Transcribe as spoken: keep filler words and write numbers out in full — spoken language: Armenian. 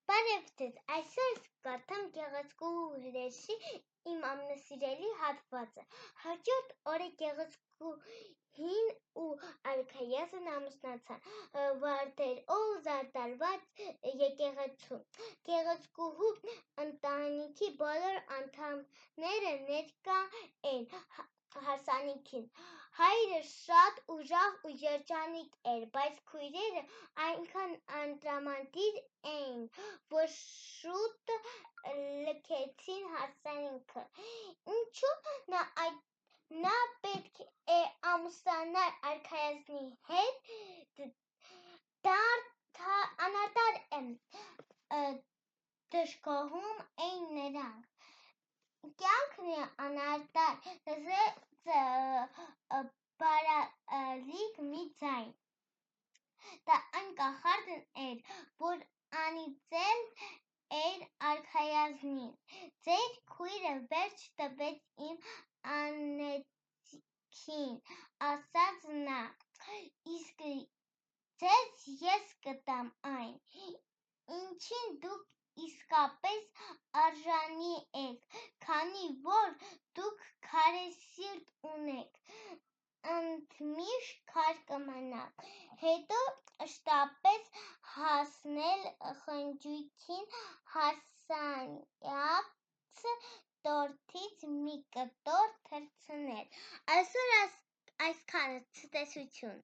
Բարև ձեզ, այսօր կարդամ Գեղեցկուհու հրեշի իմ ամենասիրելի հատվածը։ Հաջորդ օրը Գեղեցկուհին ու արքայազնը ամուսնացան, վարդերով զարդարված եկեղեցում։ Գեղեցկուհու ընտանիքի բոլոր անդամները ներկա էին հարսանիքին։ Հայրը շատ ուժեղ ու երջանիկ էր, բայց քույրերը այնքան անտրամադիր էին, որ շուտ լքեցին հարսանիքը։ Ինչու՞ նա այդ նա պետք է ամուսնանար արքայազնի հետ, անարդար դժգոհում էին նրանք։ Կյանքն է անարդար, լսեց բարալիկ մի ձայն։ Դա այն կախարդն էր, որ անիծել էր արքայազնին։ Ձեր քույրը վերջ տվեց իմ անեծքին, ասաց նա, իսկ ձեզ ես կտամ այն, ինչին դուք իսկապես արժանի եք, քանի որ դուք քարե սիրտ ունեք, ընդմիշտ քար կմնաք։ Հետո շտապեց հասնել խնջույքին, հարսանյաց տորթից մի կտոր թռցնել։ Այսօր այսքանը, ցտեսություն։